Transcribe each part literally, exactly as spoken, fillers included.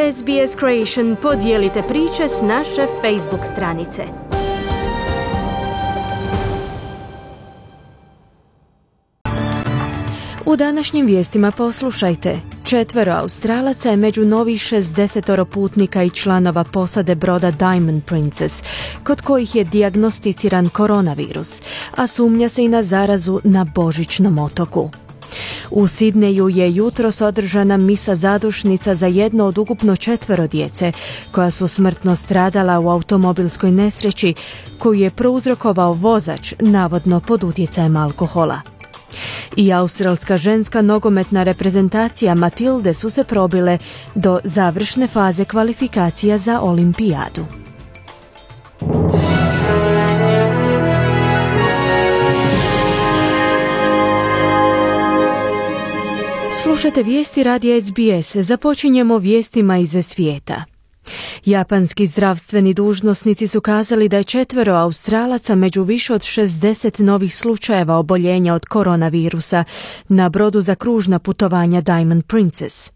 S B S Creation, podijelite priče s naše Facebook stranice. U današnjim vijestima poslušajte. Četvero Australaca je među novih šezdesetoro putnika i članova posade broda Diamond Princess, kod kojih je dijagnosticiran koronavirus, a sumnja se i na zarazu na Božićnom otoku. U Sidneju je jutros održana misa zadušnica za jedno od ukupno četvero djece koja su smrtno stradala u automobilskoj nesreći koju je prouzrokovao vozač, navodno pod utjecajem alkohola. I australska ženska nogometna reprezentacija Matilde su se probile do završne faze kvalifikacija za olimpijadu. Slušajte vijesti radija S B S. Započinjemo vijestima iz svijeta. Japanski zdravstveni dužnosnici su kazali da je četvero Australaca među više od šezdeset novih slučajeva oboljenja od koronavirusa na brodu za kružna putovanja Diamond Princess.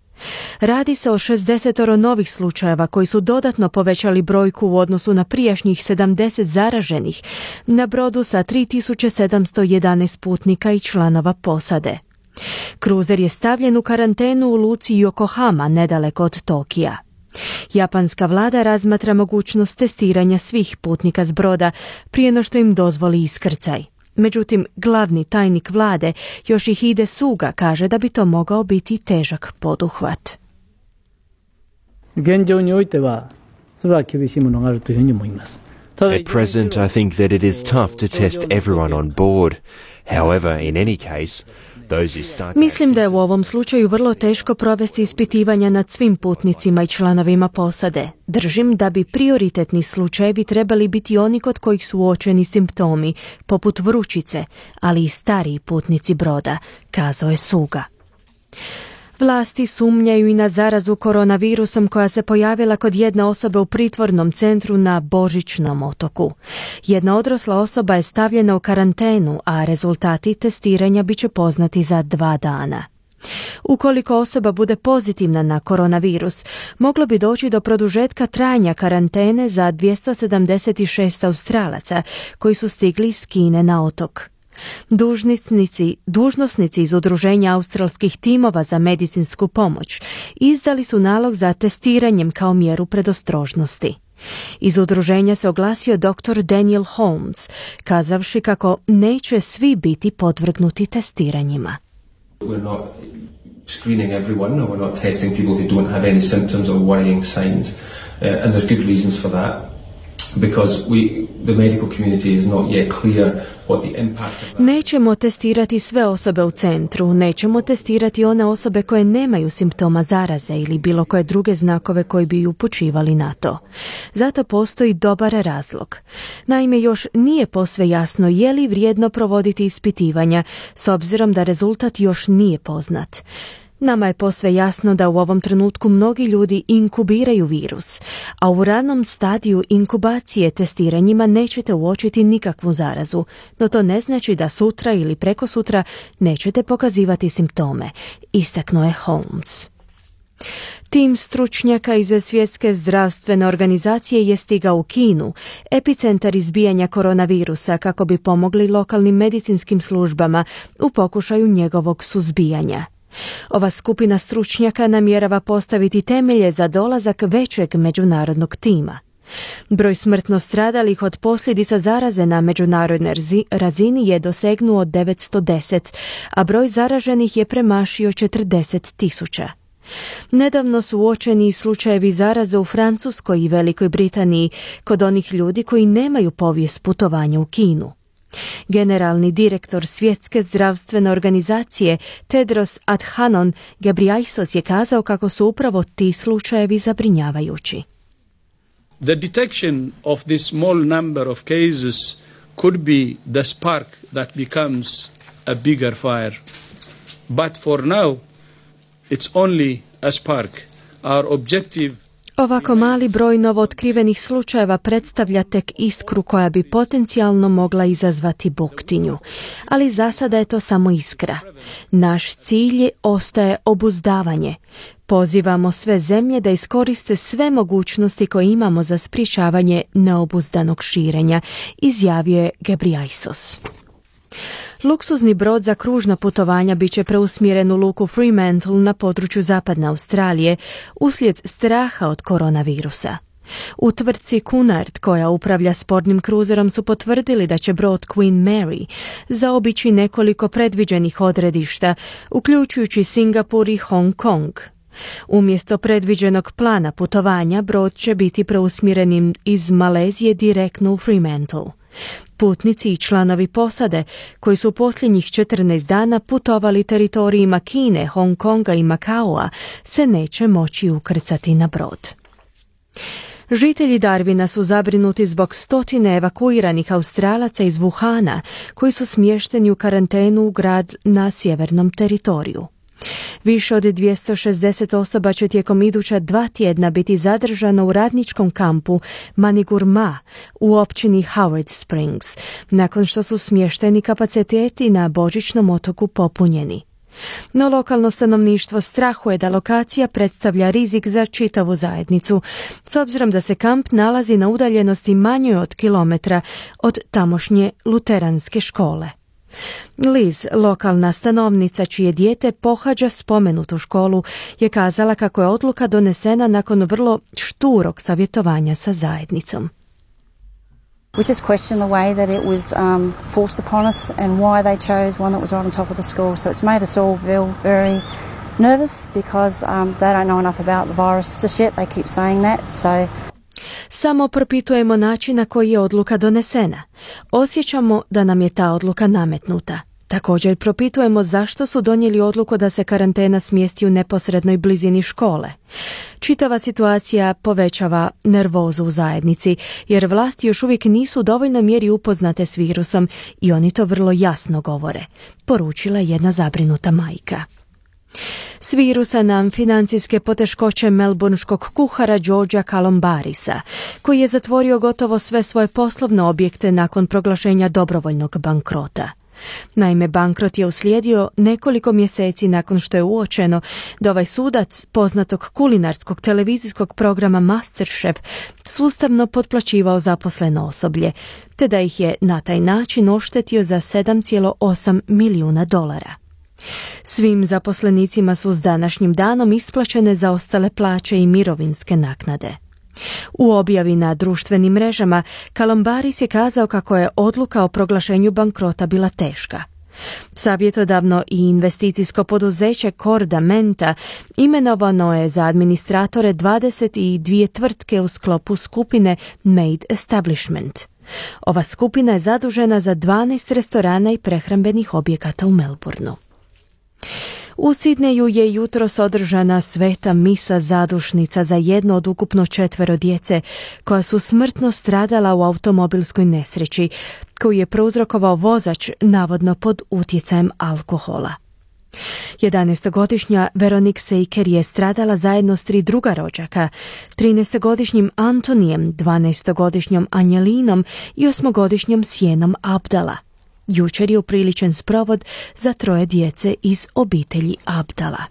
Radi se o šezdesetoro novih slučajeva koji su dodatno povećali brojku u odnosu na prijašnjih sedamdeset zaraženih na brodu sa tri tisuće sedamsto jedanaest putnika i članova posade. Kruzer je stavljen u karantenu u luci Yokohama, nedaleko od Tokija. Japanska vlada razmatra mogućnost testiranja svih putnika s broda prije no što im dozvoli iskrcaj. Međutim, glavni tajnik vlade Yoshihide Suga kaže da bi to mogao biti težak poduhvat. At present, I think that it is tough to test everyone on board. However, in any case, Mislim da je u ovom slučaju vrlo teško provesti ispitivanja nad svim putnicima i članovima posade. Držim da bi prioritetni slučajevi trebali biti oni kod kojih su uočeni simptomi, poput vrućice, ali i stariji putnici broda, kazao je Suga. Vlasti sumnjaju i na zarazu koronavirusom koja se pojavila kod jedne osobe u pritvornom centru na Božićnom otoku. Jedna odrasla osoba je stavljena u karantenu, a rezultati testiranja bit će poznati za dva dana. Ukoliko osoba bude pozitivna na koronavirus, moglo bi doći do produžetka trajanja karantene za dvjesto sedamdeset šest Australaca koji su stigli iz Kine na otok. Dužnosnici, dužnosnici iz udruženja australskih timova za medicinsku pomoć izdali su nalog za testiranjem kao mjeru predostrožnosti. Iz udruženja se oglasio doktor Daniel Holmes, kazavši kako neće svi biti podvrgnuti testiranjima. We're not screening everyone, or we're not testing people who don't have any symptoms or worrying signs, uh, and there's good reasons for that. Because we, the medical community is not yet clear what the impact of that. Nećemo testirati sve osobe u centru, nećemo testirati one osobe koje nemaju simptoma zaraze ili bilo koje druge znakove koji bi upućivali na to. Zato postoji dobar razlog. Naime, još nije posve jasno je li vrijedno provoditi ispitivanja, s obzirom da rezultat još nije poznat. Nama je posve jasno da u ovom trenutku mnogi ljudi inkubiraju virus, a u ranom stadiju inkubacije testiranjima nećete uočiti nikakvu zarazu, no to ne znači da sutra ili prekosutra nećete pokazivati simptome, istaknuo je Holmes. Tim stručnjaka iz Svjetske zdravstvene organizacije je stigao u Kinu, epicentar izbijanja koronavirusa, kako bi pomogli lokalnim medicinskim službama u pokušaju njegovog suzbijanja. Ova skupina stručnjaka namjerava postaviti temelje za dolazak većeg međunarodnog tima. Broj smrtno stradalih od posljedica zaraze na međunarodnoj razini je dosegnuo devetsto deset, a broj zaraženih je premašio četrdeset tisuća. Nedavno su uočeni slučajevi zaraze u Francuskoj i Velikoj Britaniji kod onih ljudi koji nemaju povijest putovanja u Kinu. Generalni direktor Svjetske zdravstvene organizacije Tedros Adhanom Ghebreyesus je kazao kako su upravo ti slučajevi zabrinjavajući. The detection of this small number of cases could be the spark that becomes a bigger fire. But for now, it's only a spark. Our objective Ovako mali broj novootkrivenih slučajeva predstavlja tek iskru koja bi potencijalno mogla izazvati buktinju. Ali za sada je to samo iskra. Naš cilj ostaje obuzdavanje. Pozivamo sve zemlje da iskoriste sve mogućnosti koje imamo za sprječavanje neobuzdanog širenja, izjavio je Ghebreyesus. Luksuzni brod za kružna putovanja bit će preusmjeren u luku Fremantle na području zapadne Australije uslijed straha od koronavirusa. U tvrtci Cunard, koja upravlja sportnim kruzerom, su potvrdili da će brod Queen Mary zaobići nekoliko predviđenih odredišta, uključujući Singapur i Hong Kong. Umjesto predviđenog plana putovanja, brod će biti preusmjeren iz Malezije direktno u Fremantle. Putnici i članovi posade, koji su posljednjih četrnaest dana putovali teritorijima Kine, Hong Konga i Makaoa, se neće moći ukrcati na brod. Žitelji Darwina su zabrinuti zbog stotine evakuiranih Australaca iz Wuhana, koji su smješteni u karantenu u grad na sjevernom teritoriju. Više od dvjesto šezdeset osoba će tijekom iduća dva tjedna biti zadržano u radničkom kampu Manigurma u općini Howard Springs, nakon što su smješteni kapaciteti na božićnom otoku popunjeni. No lokalno stanovništvo strahuje da lokacija predstavlja rizik za čitavu zajednicu, s obzirom da se kamp nalazi na udaljenosti manjoj od kilometra od tamošnje luteranske škole. Liz, lokalna stanovnica čije dijete pohađa spomenutu školu, je kazala kako je odluka donesena nakon vrlo šturog savjetovanja sa zajednicom. We just question the way that it was um, forced upon us and why they chose one that was right on top of the school. So it's made us all feel very nervous because um, they don't know enough about the virus just yet. They keep saying that. So Samo propitujemo način na koji je odluka donesena. Osjećamo da nam je ta odluka nametnuta. Također propitujemo zašto su donijeli odluku da se karantena smjesti u neposrednoj blizini škole. Čitava situacija povećava nervozu u zajednici, jer vlasti još uvijek nisu u dovoljnoj mjeri upoznate s virusom i oni to vrlo jasno govore, poručila jedna zabrinuta majka. S virusa nam financijske poteškoće melbourneškog kuhara Georgea Calombarisa, koji je zatvorio gotovo sve svoje poslovne objekte nakon proglašenja dobrovoljnog bankrota. Naime, bankrot je uslijedio nekoliko mjeseci nakon što je uočeno da ovaj sudac poznatog kulinarskog televizijskog programa MasterChef sustavno potplaćivao zaposleno osoblje, te da ih je na taj način oštetio za sedam zarez osam milijuna dolara. Svim zaposlenicima su s današnjim danom isplaćene zaostale plaće i mirovinske naknade. U objavi na društvenim mrežama Calombaris je kazao kako je odluka o proglašenju bankrota bila teška. Savjetodavno i investicijsko poduzeće Corda Menta imenovano je za administratore dvadeset dvije tvrtke u sklopu skupine Made Establishment. Ova skupina je zadužena za dvanaest restorana i prehrambenih objekata u Melbourneu. U Sidneju je jutros održana sveta misa zadušnica za jedno od ukupno četvero djece koja su smrtno stradala u automobilskoj nesreći koju je prouzrokovao vozač navodno pod utjecajem alkohola. jedanaestogodišnja Veronique Seiker je stradala zajedno s tri druga rođaka, trinaestogodišnjim Antonijem, dvanaestogodišnjom Anjelinom i osmogodišnjom Sjenom Abdala. Jučer je upriličen sprovod za troje djece iz obitelji Abdala.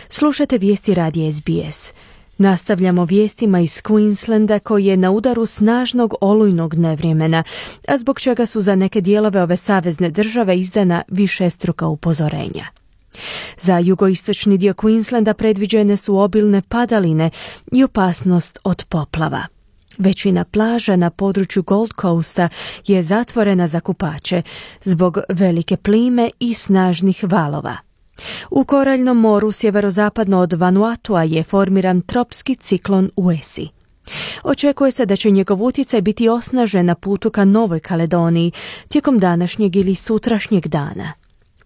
Slušate vijesti radija S B S. Nastavljamo vijestima iz Queenslanda koji je na udaru snažnog olujnog nevremena, a zbog čega su za neke dijelove ove savezne države izdana višestruka upozorenja. Za jugoistočni dio Queenslanda predviđene su obilne padaline i opasnost od poplava. Većina plaža na području Gold Coasta je zatvorena za kupače zbog velike plime i snažnih valova. U Koraljnom moru sjeverozapadno od Vanuatua je formiran tropski ciklon Uesi. Očekuje se da će njegov utjecaj biti osnažen na putu ka Novoj Kaledoniji tijekom današnjeg ili sutrašnjeg dana.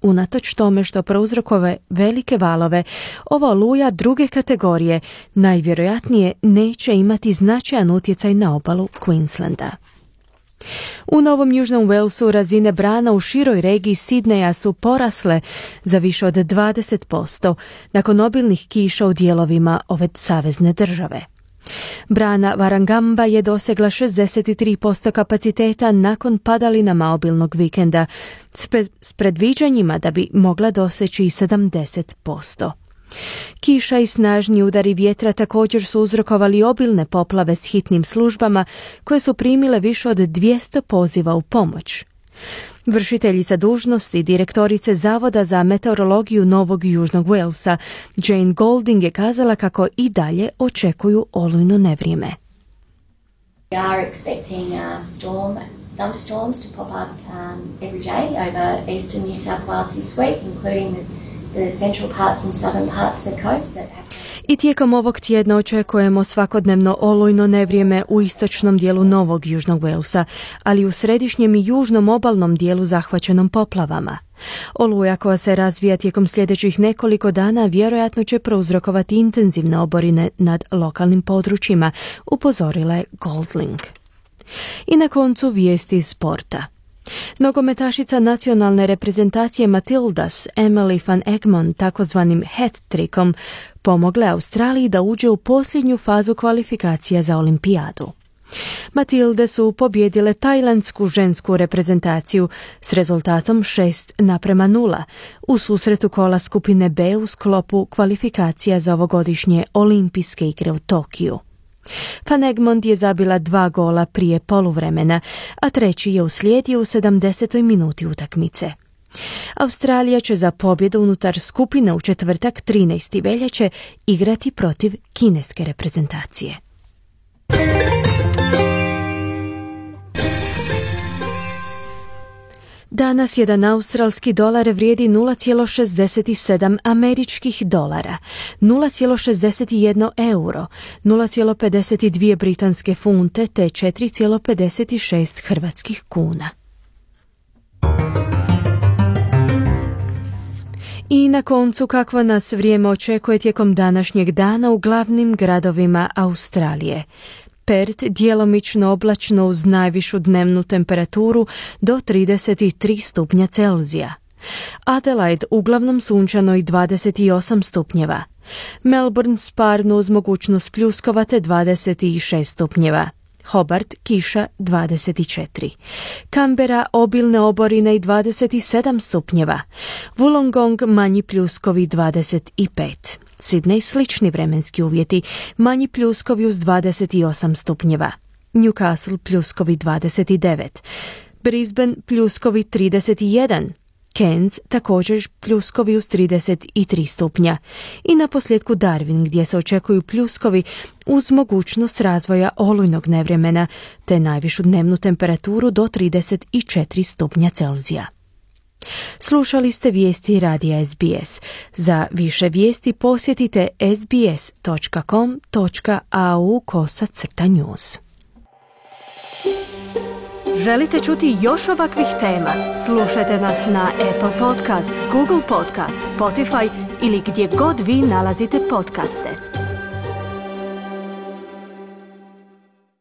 Unatoč tome što prouzrokove velike valove, ova oluja druge kategorije najvjerojatnije neće imati značajan utjecaj na obalu Queenslanda. U Novom Južnom Walesu razine brana u široj regiji Sidneja su porasle za više od dvadeset posto nakon obilnih kiša u dijelovima ove savezne države. Brana Warragamba je dosegla šezdeset tri posto kapaciteta nakon padalinama obilnog vikenda s predviđanjima da bi mogla doseći i sedamdeset posto. Kiša i snažni udari vjetra također su uzrokovali obilne poplave s hitnim službama koje su primile više od dvjesto poziva u pomoć. Vršiteljica dužnosti direktorice Zavoda za meteorologiju Novog Južnog Walesa Jane Golding je kazala kako i dalje očekuju olujno nevrijeme. We are expecting a storm, thunderstorms to pop up um, every day over eastern New South Wales this week, including the the central parts and southern parts of the coast that have... I tijekom ovog tjedna očekujemo svakodnevno olujno nevrijeme u istočnom dijelu Novog Južnog Walesa, ali u središnjem i južnom obalnom dijelu zahvaćenom poplavama. Oluja koja se razvija tijekom sljedećih nekoliko dana vjerojatno će prouzrokovati intenzivne oborine nad lokalnim područjima, upozorila je Golding. I na koncu vijesti iz sporta. Nogometašica nacionalne reprezentacije Matildas Emily van Egmond takozvanim hat-trickom pomogle Australiji da uđe u posljednju fazu kvalifikacija za olimpijadu. Matilde su pobjedile tajlandsku žensku reprezentaciju s rezultatom šest naprema nula u susretu kola skupine B u sklopu kvalifikacija za ovogodišnje olimpijske igre u Tokiju. Van Egmond je zabila dva gola prije poluvremena, a treći je uslijedio u sedamdesetoj minuti utakmice. Australija će za pobjedu unutar skupine u četvrtak trinaestog veljače igrati protiv kineske reprezentacije. Danas jedan australski dolar vrijedi nula zarez šezdeset sedam američkih dolara, nula zarez šezdeset jedan euro, nula zarez pedeset dvije britanske funte te četiri zarez pedeset šest hrvatskih kuna. I na koncu kakvo nas vrijeme očekuje tijekom današnjeg dana u glavnim gradovima Australije. Perth djelomično oblačno uz najvišu dnevnu temperaturu do trideset tri stupnja Celzija. Adelaide uglavnom sunčano i dvadeset osam stupnjeva. Melbourne sparno uz mogućnost pljuskova te dvadeset šest stupnjeva. Hobart kiša dvadeset četiri. Canberra obilne oborine i dvadeset sedam stupnjeva. Wollongong manji pljuskovi dvadeset pet. Sydney slični vremenski uvjeti, manji pljuskovi uz dvadeset osam stupnjeva. Newcastle pljuskovi dvadeset devet. Brisbane pljuskovi trideset jedan. Cairns također pljuskovi uz trideset tri stupnja. I na posljedku Darwin gdje se očekuju pljuskovi uz mogućnost razvoja olujnog nevremena te najvišu dnevnu temperaturu do trideset četiri stupnja Celzija. Slušali ste vijesti radija S B S. Za više vijesti posjetite sbs točka com točka a u kosa crta news. Želite čuti još ovakvih tema? Slušajte nas na Apple Podcast, Google Podcast, Spotify ili gdje god vi nalazite podcaste.